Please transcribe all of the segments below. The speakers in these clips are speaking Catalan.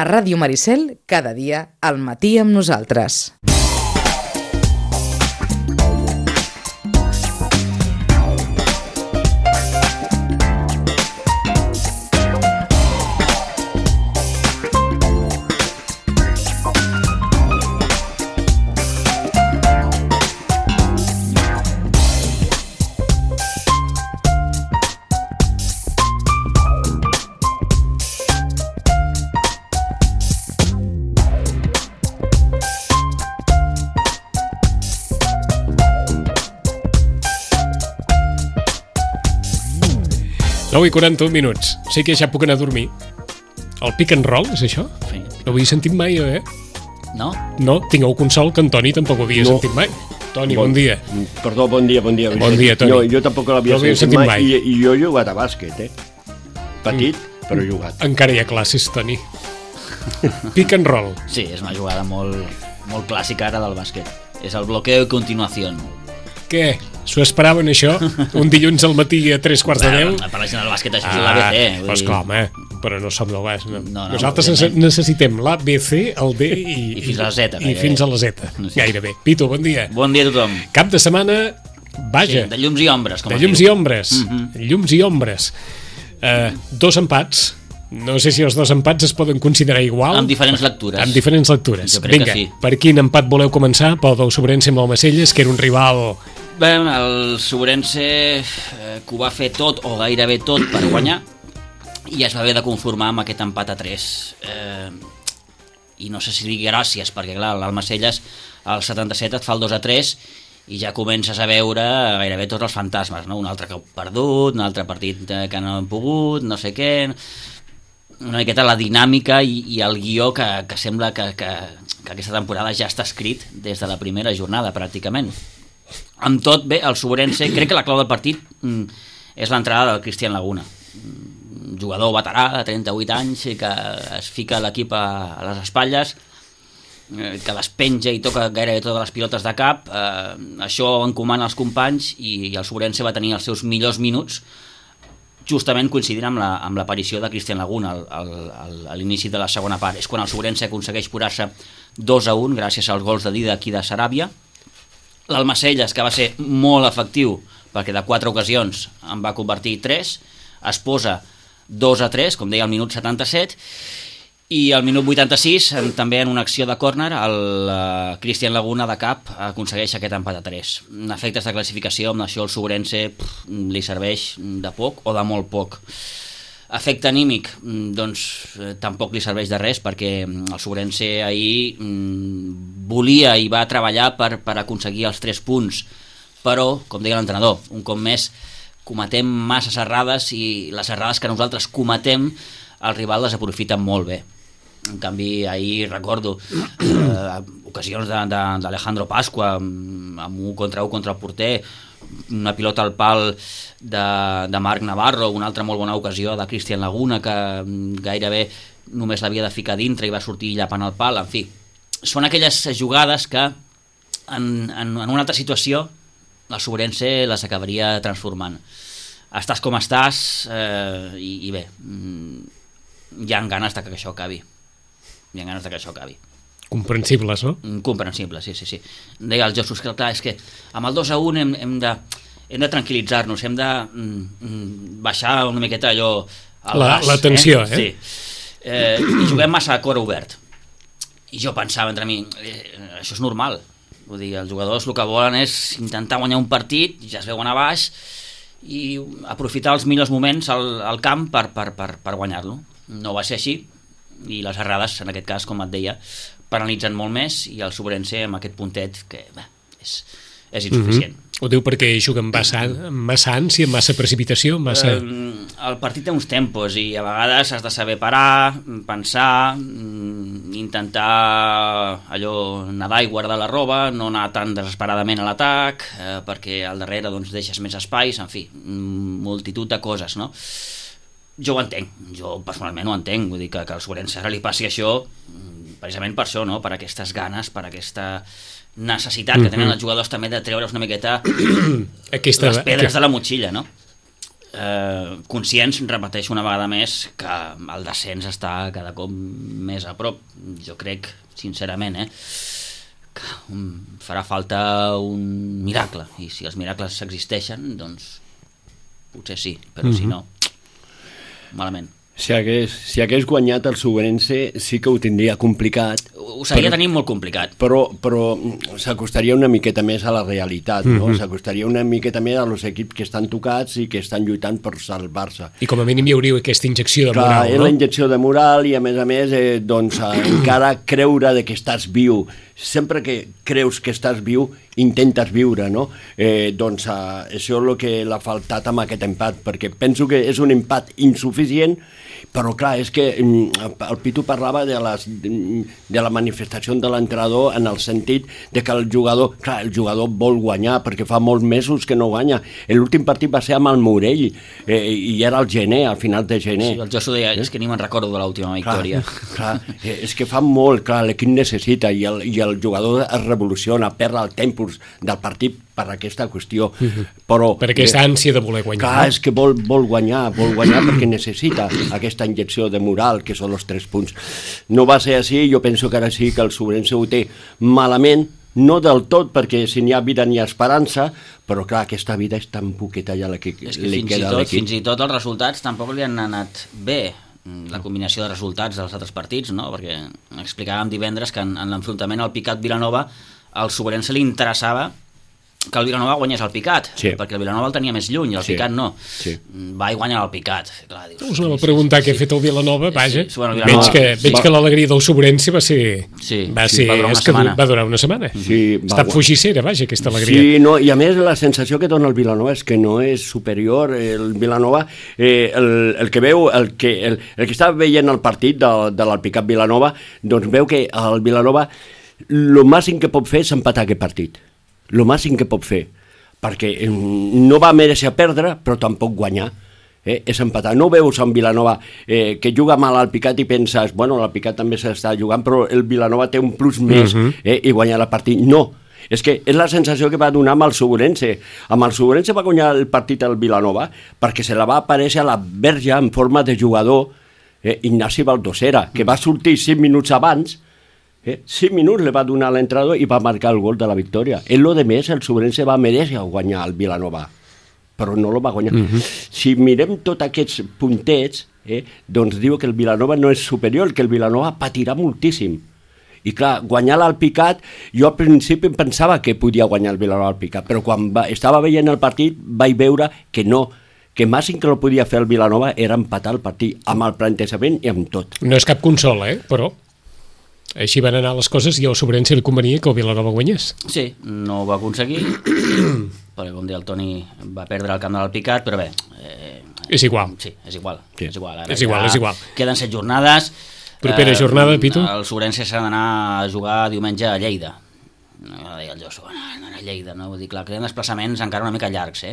A Ràdio Maricel, cada dia, al matí amb nosaltres. I 41 minuts. Sé que ja puc anar a dormir. El pick and roll, és això? Sí. No ho havia sentit mai, No? No, tingueu consol que en Toni tampoc ho havia sentit mai. Toni, bon dia. Perdó, bon dia. Bon dia, Toni. No, jo tampoc l'havia sentit mai. I jo he jugat a bàsquet, Petit, però he jugat. Encara hi ha classes, Toni. Pick and roll. Sí, és una jugada molt clàssica ara del bàsquet. És el bloqueo i continuació. Què? S'ho esperaven, això? Un dilluns al matí a 3:45? Per la gent del bàsquet això és l'ABC. Doncs clar, home, però no som del bàsquet. No, Nosaltres necessitem l'ABC, el D i fins a la Z. I fins a la Z, gairebé. Pitu, bon dia. Bon dia a tothom. Cap de setmana, vaja. Sí, de llums i ombres. De llums i ombres. Llums i ombres. Dos empats. No sé si els dos empats es poden considerar igual. Amb diferents lectures. Amb diferents lectures. Jo crec que sí. Per quin empat voleu començar? Pel del Sobrense amb l'Almacelles, que era un rival... Bé, el Sobrense que ho va fer tot o gairebé tot per guanyar i es va haver de conformar amb aquest empat a 3. I no sé si digui gràcies, perquè clar, l'Almacelles al 77 et fa el 2-3 i ja comences a veure gairebé tots els fantasmes, no? Un altre que heu perdut, un altre partit que no hem pogut, no sé què... Una miqueta la dinàmica i el guió que sembla que aquesta temporada ja està escrit des de la primera jornada, pràcticament. Amb tot, bé, el Sobrense, crec que la clau del partit és l'entrada del Cristian Laguna, un jugador veterà de 38 anys que es fica l'equip a les espatlles, que les penja i toca gairebé totes les pilotes de cap. Això encomana els companys i el Sobrense va tenir els seus millors minuts justament coincidint amb l'aparició de Cristian Laguna a l'inici de la segona part. És quan el Sobrense aconsegueix posar-se 2-1 gràcies als gols de Dida aquí de Saràbia. L'Almacelles, que va ser molt efectiu perquè de 4 ocasions en va convertir 3, es posa 2-3, com deia, al minut 77, i al minut 86, també en una acció de córner, el Cristian Laguna de cap aconsegueix aquest empat a 3. En efectes de classificació, amb això el Sobrense li serveix de poc o de molt poc. Efecte anímic, doncs tampoc li serveix de res, perquè el Sobrense ahir volia i va treballar per aconseguir els 3 punts, però, com deia l'entrenador, un cop més cometem masses errades i les errades que nosaltres cometem el rival les aprofita molt bé. En canvi, ahir recordo ocasions d'Alejandro Pasqua amb 1 contra el porter, una pilota al pal de Marc Navarro, una altra molt bona ocasió de Cristian Laguna que gairebé només l'havia de ficar dintre i va sortir llapant el pal. En fi, són aquelles jugades que en una altra situació el Sobrense les acabaria transformant. Estàs com estàs i bé, hi ha ganes de que això acabi. Comprensibles, no? Comprensibles, sí. Deia el Jesús que clar, és que amb el 2-1 hem de tranquil·litzar-nos, hem de baixar una miqueta allò al gas. La tensió, Sí. I juguem massa a cor obert. I jo pensava entre mi, això és normal. Vull dir, els jugadors el que volen és intentar guanyar un partit, ja es veuen a baix, i aprofitar els millors moments al camp per guanyar-lo. No va ser així, i les errades, en aquest cas, com et deia, penalitzen molt més, i el Sobrense amb aquest puntet que és insuficient. Ho diu perquè juguen massa ànsia, massa precipitació, massa... El partit té uns tempos i a vegades has de saber parar, pensar, intentar allò nedar i guardar la roba, no anar tan desesperadament a l'atac, perquè al darrere doncs, deixes més espais, en fi, multitud de coses, no? Jo ho entenc, jo personalment ho entenc, vull dir que al Sobrense ara li passi això precisament per això, no? Per aquestes ganes, per aquesta necessitat que tenen els jugadors també de treure's una miqueta les pedres de la motxilla, no? conscients, repeteixo una vegada més, que el descens està cada cop més a prop. Jo crec, sincerament, que farà falta un miracle, i si els miracles existeixen, doncs potser sí, però si no, malament. Si hagués guanyat el Subrense sí que ho tindria complicat. Ho seguia tenint molt complicat. Però s'acostaria una miqueta més a la realitat, no? S'acostaria una miqueta més als equips que estan tocats i que estan lluitant per salvar-se. I com a mínim hi hauria aquesta injecció de moral, no? És la injecció de moral i a més, doncs, encara creure de que estàs viu. Sempre que creus que estàs viu, intentes viure, no? Doncs això és el que l'ha faltat amb aquest empat, perquè penso que és un empat insuficient, però clar, és que el Pitu parlava de la manifestació de l'entrenador en el sentit de que el jugador vol guanyar, perquè fa molts mesos que no guanya. L'últim partit va ser amb el Morell, i era al gener, al final de gener. Sí, el Josu deia, és que ni me'n recordo de l'última victòria. Clar, és que fa molt, clar, l'equip necessita, i el jugador es revoluciona, perd el tempus del partit per aquesta qüestió. Però per aquesta ànsia de voler guanyar. Clar, és que vol guanyar perquè necessita aquesta injecció de moral, que són els 3 punts. No va ser així, jo penso que ara sí que el Subrense ho té malament, no del tot, perquè si n'hi ha vida n'hi ha esperança, però clar, aquesta vida és tan poqueta ja la que li queda a l'equip. Fins i tot els resultats tampoc li han anat bé, la combinació de resultats dels altres partits, no? Perquè explicàvem divendres que en l'enfrontament al Picat-Vilanova al Subrense li interessava que el Vilanova guanyés el Picat, perquè el Vilanova el tenia més lluny, el Picat no. Va i guanya el Picat. Clar, dius, us anava a preguntar què ha fet el Vilanova, vaja. Vilanova, veig que l'alegria del Subrense va durar una setmana. Està fugissera, vaja, aquesta alegria. Sí, no, i a més la sensació que dona el Vilanova és que no és superior. El Vilanova, el que veu, el que està veient el partit de l'Alpicat Vilanova, doncs veu que el Vilanova el màxim que pot fer és empatar aquest partit. El màxim que pot fer, perquè no va mereixer perdre, però tampoc guanyar, és empatar. No veus un Vilanova que juga mal al Picat i penses, bueno, l'Alpicat també s'està jugant, però el Vilanova té un plus més i guanyar el partit. No, és que és la sensació que va donar amb el Subrense. Amb el Subrense va guanyar el partit al Vilanova perquè se la va aparèixer a la verge en forma de jugador, Ignasi Baldosera, que va sortir 5 minuts abans. 5 minuts li va donar l'entrenador i va marcar el gol de la victòria. En lo de més, el Subrense va mereixer guanyar el Vilanova, però no el va guanyar. Si mirem tots aquests puntets, doncs diu que el Vilanova no és superior, que el Vilanova patirà moltíssim. I clar, guanyar l'Alpicat, jo al principi pensava que podia guanyar el Vilanova Alpicat, però quan estava veient el partit vaig veure que no, que màxim que no podia fer el Vilanova era empatar el partit, amb el plantejament i amb tot. No és cap consola, però així van anar les coses i al Subrense li convenia que el Vilanova guanyés. Sí, no ho va aconseguir, perquè com deia el Toni va perdre el camp de l'Alpicat, però bé... és igual. Sí, és igual. Sí. Ara és igual. Queden 7 jornades. Propera jornada, Pitu? El Subrense s'ha d'anar a jugar diumenge a Lleida. Deia el Josu, anar a Lleida, no? Vull dir, clar, queden desplaçaments encara una mica llargs,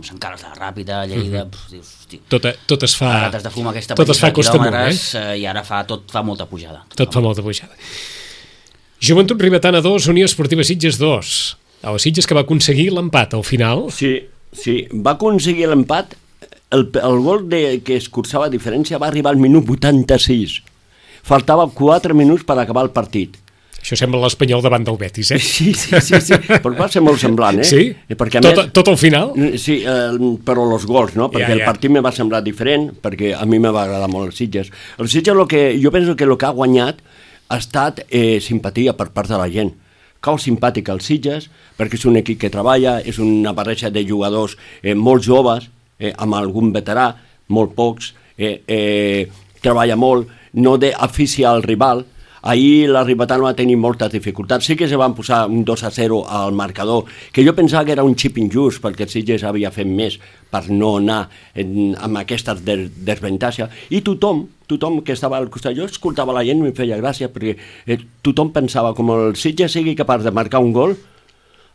Sant Carles de la Ràpita, Lleida, dius, hosti, tot es fa rates de fum aquesta tot es fa costa molt, i ara tot fa molta pujada. Tot fa molta pujada. Joventut Ribetana 2, Unió Esportiva Sitges 2. El Sitges que va aconseguir l'empat al final. Sí, va aconseguir l'empat. El gol que es cursava a diferència va arribar al minut 86. Faltava 4 minuts per acabar el partit. Això sembla l'Espanyol davant del Betis, Sí, però va ser molt semblant, Sí? Perquè, tot al final? Sí, però els gols, no? Perquè el partit me va semblar diferent, perquè a mi me va agradar molt el Sitges. El Sitges, jo penso que el que ha guanyat ha estat simpatia per part de la gent. Cau simpàtic al Sitges, perquè és un equip que treballa, és una barreja de jugadors molt joves, amb algun veterà, molt pocs, treballa molt, no d'afició al rival. Ahir la Ribetana va tenir moltes dificultats. Sí que se van posar un 2-0 al marcador, que jo pensava que era un xip injust, perquè el Sitges havia fet més per no anar amb aquesta desventatge. I tothom que estava al costat, jo escoltava la gent i em feia gràcia, perquè tothom pensava, com el Sitges sigui capaç de marcar un gol,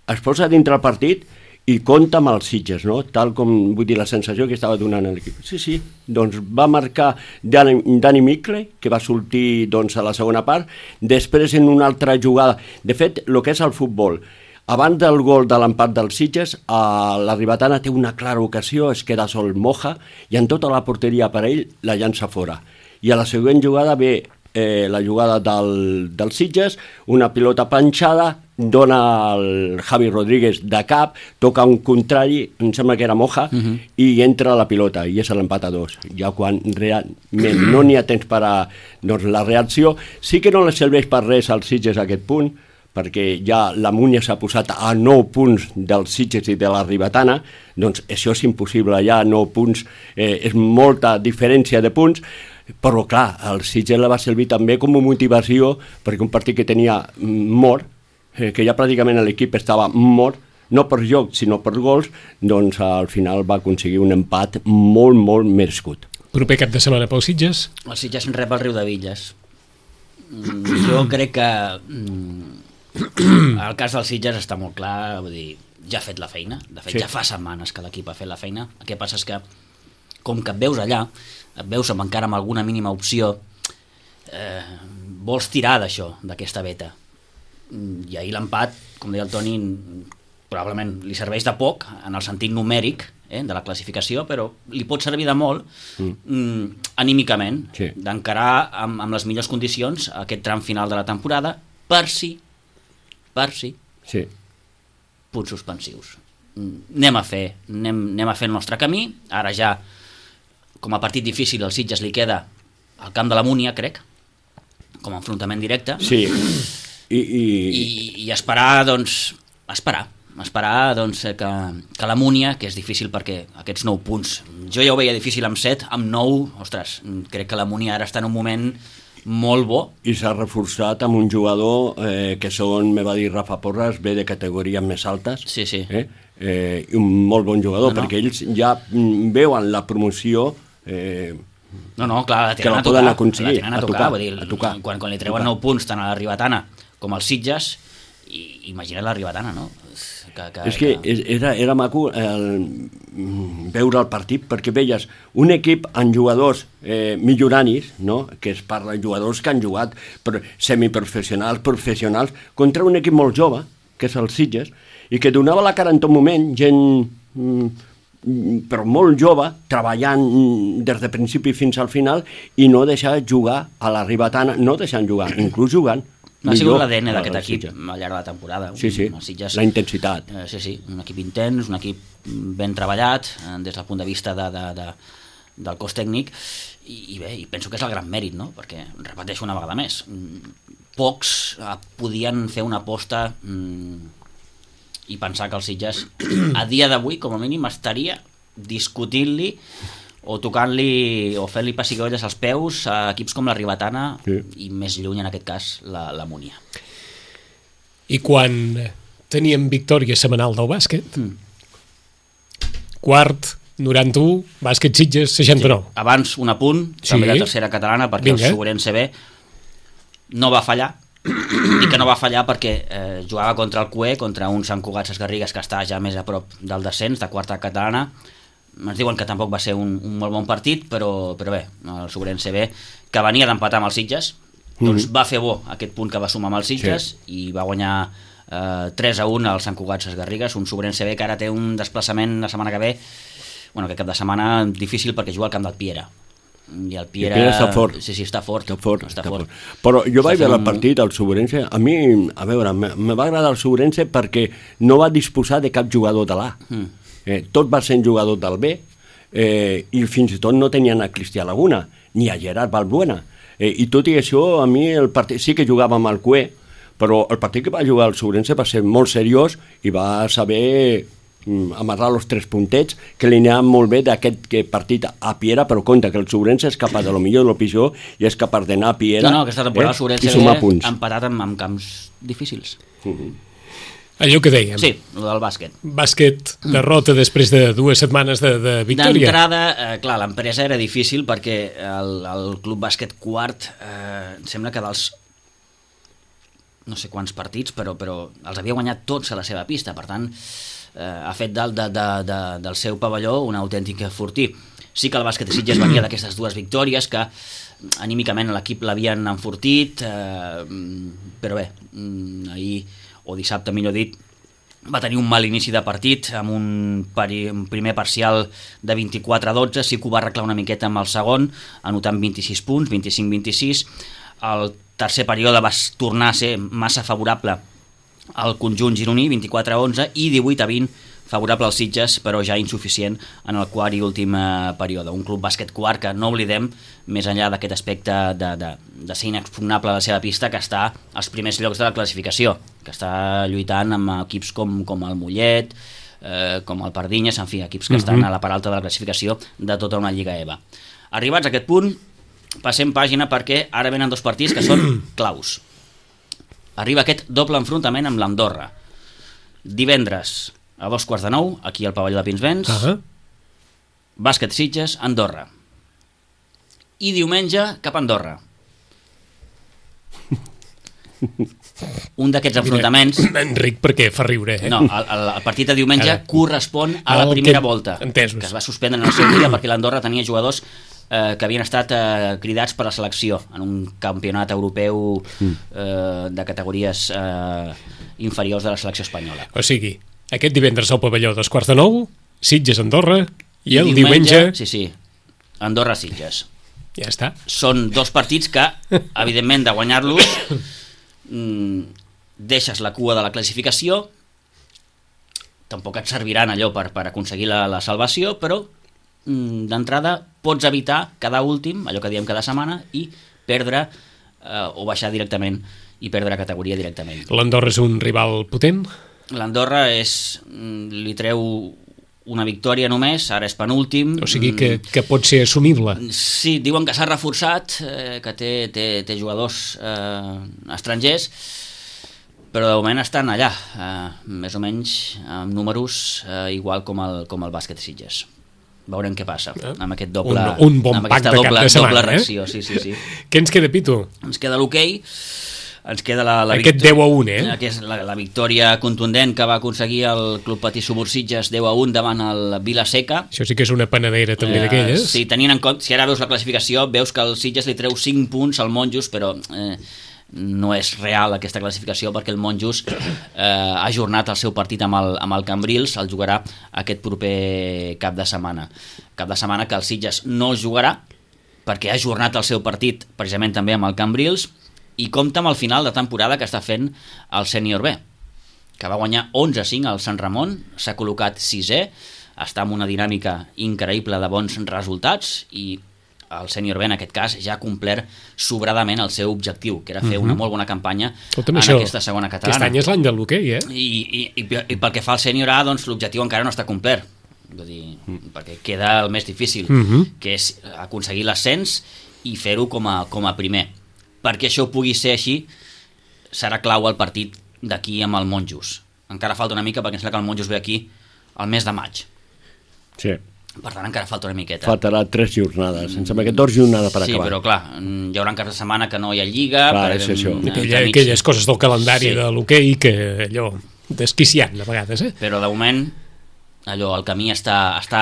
es posa dintre el partit i compta amb els Sitges, no? Tal com, vull dir, la sensació que estava donant l'equip. Sí, doncs va marcar Dani Micle, que va sortir doncs, a la segona part, després en una altra jugada. De fet, el que és el futbol, Abans del gol de l'empat dels Sitges, la Ribetana té una clara ocasió, es queda sol Moja, i en tota la porteria per ell la llança fora. I a la següent jugada ve la jugada del Sitges, una pilota panxada, dona el Javi Rodríguez de cap, toca un contrari, em sembla que era Moja, i entra la pilota, i és l'empat a 2. Ja quan realment no n'hi ha temps per a la reacció, sí que no li serveix per res als Sitges aquest punt, perquè ja la Múnia s'ha posat a 9 punts dels Sitges i de la Ribetana, doncs això és impossible, ja 9 punts, és molta diferència de punts, però clar, el Sitges la va servir també com a motivació, perquè un partit que tenia mort, que ja pràcticament l'equip estava mort, no per joc, sinó per gols, doncs al final va aconseguir un empat molt, molt merescut. Proper cap de setmana pel Sitges? El Sitges rep el Riu de Villes. Jo crec que el cas del Sitges està molt clar, vull dir, ja ha fet la feina, de fet ja fa setmanes que l'equip ha fet la feina. El que passa és que, com que et veus allà, et veus encara amb alguna mínima opció, vols tirar d'això, d'aquesta veta. I ahir l'empat, com deia el Toni, probablement li serveix de poc en el sentit numèric de la classificació, però li pot servir de molt anímicament, d'encarar amb les millors condicions aquest tram final de la temporada, per si punts suspensius. Anem a fer el nostre camí. Ara ja, com a partit difícil, al Sitges li queda al camp de la Múnia, crec, com a enfrontament directe. Sí. I esperar, doncs, que la Múnia, que és difícil perquè aquests 9 punts, jo ja ho veia difícil amb 7, amb 9, ostres, crec que la Múnia ara està en un moment molt bo. I s'ha reforçat amb un jugador que, segons me va dir Rafa Porras, ve de categories més altes. Sí. Un molt bon jugador, perquè ells ja veuen la promoció clar, la tenen a tocar. Vull dir, quan li treuen 9 punts tant a la Ribetana com als Sitges, imagina't la Ribetana, no? És que era maco veure el partit, perquè veies un equip amb jugadors milloranis, no? Que es parla de jugadors que han jugat semiprofessionals, professionals, contra un equip molt jove, que és el Sitges, i que donava la cara en tot moment, gent però molt jove, treballant des de principi fins al final, i no deixar jugar a la Ribetana, no deixant jugar, inclús jugant. No ha sigut l'ADN d'aquest equip al llarg de la temporada. Sí, la intensitat. Sí, un equip intens, un equip ben treballat des del punt de vista del cos tècnic, i bé, penso que és el gran mèrit, no? Perquè, repeteixo una vegada més, pocs podien fer una aposta i pensar que el Sitges a dia d'avui, com a mínim, estaria discutint-li o tocant-li o fent-li pessigolles als peus a equips com la Ribetana i més lluny, en aquest cas, la Múnia. I quan teníem victòria setmanal del bàsquet, quart, 91, bàsquet Sitges, 69. Abans un apunt, també de tercera catalana, perquè el Sobrense B no va fallar, i que no va fallar perquè jugava contra el CUE, contra un Sant Cugat Sesgarrigues que està ja més a prop del descens, de quarta catalana. Ens diuen que tampoc va ser un molt bon partit, però bé, el Sobrense B, que venia d'empatar amb els Sitges, doncs va fer bo aquest punt que va sumar amb els Sitges i va guanyar 3-1 al Sant Cugat Sesgarrigues, un Sobrense B que ara té un desplaçament la setmana que ve, aquest cap de setmana difícil perquè juga al camp del Piera. I el Piera està fort. Sí, està fort. Però jo vaig veure el partit, el Sobrense, a mi, a veure, me va agradar el Sobrense perquè no va disposar de cap jugador de l'A. Tot va ser jugador del B, i fins i tot no tenien a Cristià Laguna ni a Gerard Balbuena, i tot i això, a mi el partit sí que jugàvem al CUE, però el partit que va jugar el Sobrense va ser molt seriós i va saber amarrar els 3 puntets que li anaven molt bé d'aquest partit a Piera, però compte que el Sobrense és capaç de lo millor de lo pitjor i és capaç d'anar a Piera aquesta temporada el Sobrense ha empatat amb camps difícils. Allò que dèiem. Sí, el del bàsquet. Bàsquet, derrota després de 2 setmanes de victòria. D'entrada, clar, l'empresa era difícil perquè el Club Bàsquet Quart em sembla que dels no sé quants partits, però els havia guanyat tots a la seva pista, per tant ha fet del seu pavelló un autèntic fortí. Sí que el bàsquet de Sitges venia d'aquestes 2 victòries que anímicament l'equip l'havien enfortit, però bé, ahir o dissabte, millor dit, va tenir un mal inici de partit, amb un primer parcial de 24-12, sí que ho va arreglar una miqueta amb el segon, anotant 26 punts, 25-26. El tercer període va tornar a ser massa favorable al conjunt gironí, 24-11, i 18-20 favorable als Sitges, però ja insuficient en el quart i últim període. Un club bàsquet quart que, no oblidem, més enllà d'aquest aspecte de ser inexpugnable a la seva pista, que està als primers llocs de la classificació, que està lluitant amb equips com el Mollet, com el Pardinyes, en fi, equips que estan a la part alta de la classificació de tota una Lliga EVA. Arribats a aquest punt, passem pàgina perquè ara venen dos partits que són claus. Arriba aquest doble enfrontament amb l'Andorra. Divendres a 8:45, aquí al pavelló de Pinsbens, bàsquet Sitges, Andorra. I diumenge cap a Andorra. Un d'aquests enfrontaments... Enric, perquè fa riure, No, el partit de diumenge correspon a la primera volta, que es va suspendre en el seu dia perquè l'Andorra tenia jugadors que havien estat cridats per la selecció en un campionat europeu de categories inferiors de la selecció espanyola. O sigui, aquest divendres al pavelló 8:45, Sitges-Andorra, i el diumenge... Sí, Andorra-Sitges. Ja està. Són dos partits que, evidentment, de guanyar-los deixes la cua de la classificació, tampoc et serviran allò per aconseguir la salvació, però d'entrada pots evitar quedar últim, allò que diem cada setmana, i perdre o baixar directament i perdre categoria directament. L'Andorra és un rival potent? L'Andorra li treu una victòria només, ara és penúltim. O sigui que pot ser assumible. Sí, diuen que s'ha reforçat, que té jugadors estrangers, però de moment estan allà, més o menys amb números igual com el bàsquet Sitges. Veurem què passa amb aquest doble, un bon pack de cap de setmana, doble reacció. Sí. Què ens queda, Pitu? Ens queda l'hoquei, ens queda la aquest 10-1, que és la victòria contundent que va aconseguir el Club Patí Subursitges 10-1 davant el Vila-seca. Això sí que és una panadera també d'aquelles. Sí, tenint en compte, si ara veus la classificació, veus que el Sitges li treu 5 punts al Monjos, però no és real aquesta classificació perquè el Monjos ha ajornat el seu partit amb el Cambrils, el jugarà aquest proper cap de setmana que el Sitges no el jugarà perquè ha ajornat el seu partit precisament també amb el Cambrils, i compta amb el final de temporada que està fent el Sènior B, que va guanyar 11-5 al Sant Ramon, s'ha col·locat 6è, està en una dinàmica increïble de bons resultats, i el Sènior B en aquest cas ja ha complert sobradament el seu objectiu, que era fer una molt bona campanya en aquesta segona catalana. Aquest any és l'any de l'hoquei, I pel que fa al Sènior A, doncs l'objectiu encara no està complert, vull dir, perquè queda el més difícil, que és aconseguir l'ascens i fer-ho com a primer. Perquè això pugui ser així, serà clau el partit d'aquí amb el Monjos. Encara falta una mica, perquè em sembla que el Monjos ve aquí el mes de maig. Sí. Per tant, encara falta una miqueta. Faltarà 3 jornades. Em sembla que 2 jornades per acabar. Sí, però clar, hi haurà caps de setmana que no hi ha lliga. Clar, és això. Aquelles coses del calendari de l'hoquei que allò desquiciant a vegades, Però de moment, allò, el camí està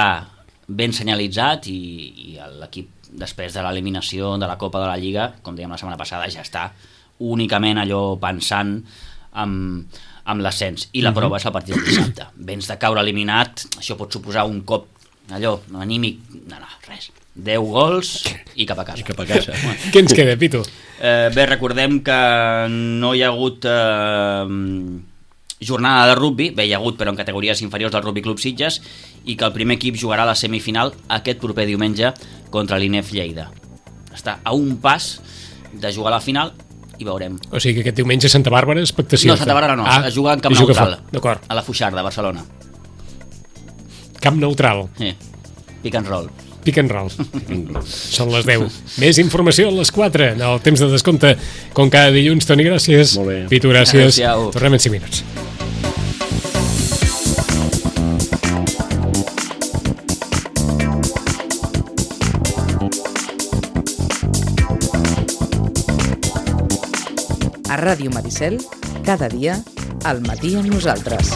ben senyalitzat i l'equip, després de l'eliminació de la Copa de la Lliga, com dèiem la setmana passada, ja està únicament allò pensant amb l'ascens. I la prova és el partit del dissabte. Vens de caure eliminat, això pot suposar un cop allò anímic, no, res, 10 gols i cap a casa. Què ens queda, Pitu? Bé, recordem que no hi ha hagut jornada de rugby, bé, hi ha hagut però en categories inferiors del Rugby Club Sitges, i que el primer equip jugarà a la semifinal aquest proper diumenge contra l'INEF Lleida. Està a un pas de jugar a la final i veurem. O sigui que aquest diumenge a Santa Bàrbara, expectació. No, Santa Bàrbara no, es juga en camp neutral, a la Fuixarda, a Barcelona. Camp neutral. Sí, pick and roll. Pick and roll. Són les 10. Més informació a les 4, en el temps de descompte, com cada dilluns. Toni, gràcies. Molt bé. Pitu, gràcies. Adéu-siau. Tornem en 5 minuts. A Ràdio Maricel, cada dia, al matí amb nosaltres.